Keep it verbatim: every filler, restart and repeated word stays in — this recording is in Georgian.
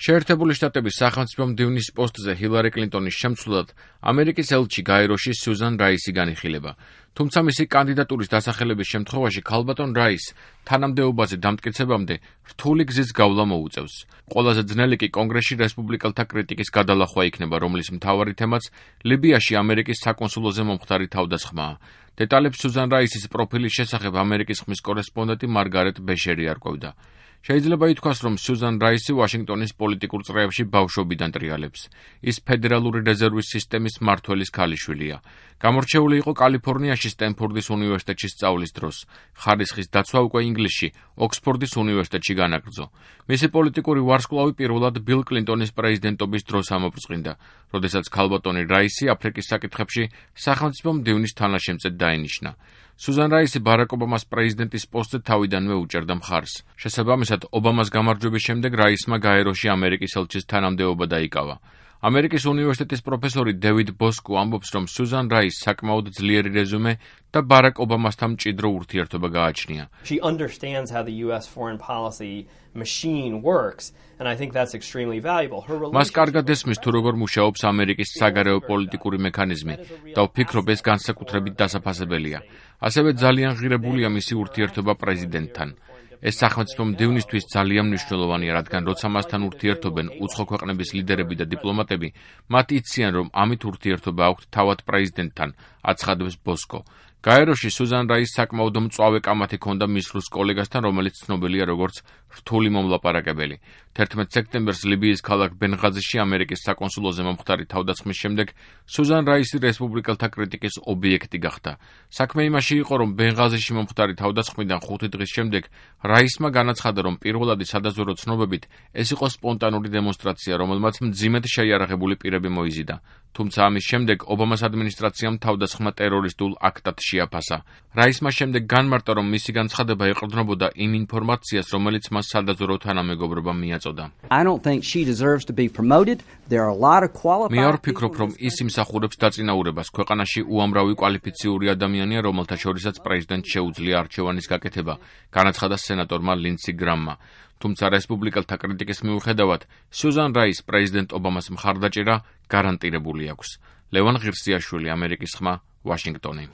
შეერთებული შტატების სახელმწიფო მდივნის პოსტზე ჰილარი კლინტონის შემცვლელად ამერიკის ელჩი გაეროში სიუზან რაისი განიხილება. თუმცა მისი კანდიდატურის დასახელების შემთხვევაში ქალბატონ რაის თანამდებობაზე დამტკიცებამდე რთული გზის გავლა მოუწევს. ყველაზე ძნელი კი კონგრესში რესპუბლიკელთა კრიტიკის გადალახვა იქნება, რომლის მთავარი თემაც ლიბიაში ამერიკის საკონსულოზე მომხდარი თავდასხმაა. დეტალებს სიუზან რაისის პროფილის შესახებ ამერიკის ხმის კორესპონდენტი მარგარეტ ბეშერი არკვევდა. შეიძლება ითქვას, რომ სიუზან რაისი ვაშინგტონის პოლიტიკურ წრეებში ბავშვობიდან ტრიალებს. ის ფედერალური რეზერვის სისტემის მმართველის ქალიშვილია. გამორჩეული იყო კალიფორნიაში სტენფორდის უნივერსიტეტში სწავლის დროს. ხარისხის დაცვა უკვე ინგლისში, ოქსფორდის უნივერსიტეტში განაგრძო. მისი პოლიტიკური ვარსკვლავი პირველად ბილ კლინტონის პრეზიდენტობის დროს ამობრწყინდა, როდესაც ქალბატონი რაისი აფრიკის საკითხებში სახელმწიფო მდივნის თანაშემწედ დაენიშნა. სიუზან რაისი ბარაკ ობამას პრეზიდენტის პოსტზე თავიდანვე უჭერდა მხარს. შესაბამისად, ობამას გამარჯვების შემდეგ რაისმა გაეროში ამერიკის ელჩის თანამდებობა დაიკავა. ამერიკის უნივერსიტეტის პროფესორი დევიდ ბოსკო ამბობს, რომ სიუზან რაისს საკმაოდ ძლიერი რეზუმე და ბარაკ ობამასთან მჭიდრო ურთიერთობა გააჩნია. She understands how the U S foreign policy machine works, and I think that's extremely valuable. Her მას კარგად ესმის თუ როგორ მუშაობს ამერიკის საგარეო პოლიტიკური მექანიზმი და ვფიქრობ, ეს განსაკუთრებით დასაფასებელია. ასევე ძალიან ღირებულია მისი ურთიერთობა პრეზიდენტთან. ეს სახელმწიფო მდივნისთვის ძალიან მნიშვნელოვანია, რადგან როცა მასთან ურთიერთობენ უცხო ქვეყნების ლიდერები და დიპლომატები, მათ იციან, რომ ამით ურთიერთობა აქვთ თავად პრეზიდენტთან, აცხადებს ბოსკო. გაეროში სიუზან რაისს საკმაოდ მწვავე კამათი ჰქონდა მის რუს კოლეგასთან, რომელიც ცნობილია როგორც რთული მომლაპარაკებელი. თერთმეტ სექტემბერს ლიბიის ქალაქ ბენღაზიში ამერიკის საკონსულოზე მომხდარი თავდასხმის შემდეგ სიუზან რაისი რესპუბლიკელთა კრიტიკის ობიექტი გახდა. საქმე იმაში იყო, რომ ბენღაზიში მომხდარი თავდასხმიდან ხუთი დღის შემდეგ რაისმა განაცხადა, რომ პირველადი სადაზვერვო ცნობებით ეს იყო სპონტანური დემონსტრაცია, რომელმაც მძიმედ შეიარაღებული პირები მოიზიდა. თუმცა ამის შემდეგ ობამას ადმინისტრაციამ თავდასხმა ტერორისტულ აქტად შეაფასა. რაისმა შემდეგ განმარტა, რომ მისი განცხადება ეყრდნობოდა იმ ინფორმაციას, რომელიც მას სადაზვერვო თანამეგობრობამ მიაწოდა. I don't think she deserves to be promoted. There are a lot of qualified. მე არ ვფიქრობ, რომ ის იმსახურებს დაწინაურებას. ქვეყანაში უამრავი კვალიფიციური ადამიანია, რომელთა შორისაც პრეზიდენტს შეუძლია არჩევანის გაკეთება, განაცხადა სენატორმა ლინდსი გრამმა. თუმცა რესპუბლიკელთა კრიტიკის მიუხედავად, სიუზან რაისს პრეზიდენტ ობამას მხარდაჭერა გარანტირებული აქვს. ლევან ღირსიაშვილი, ამერიკის ხმა, ვაშინგტონი.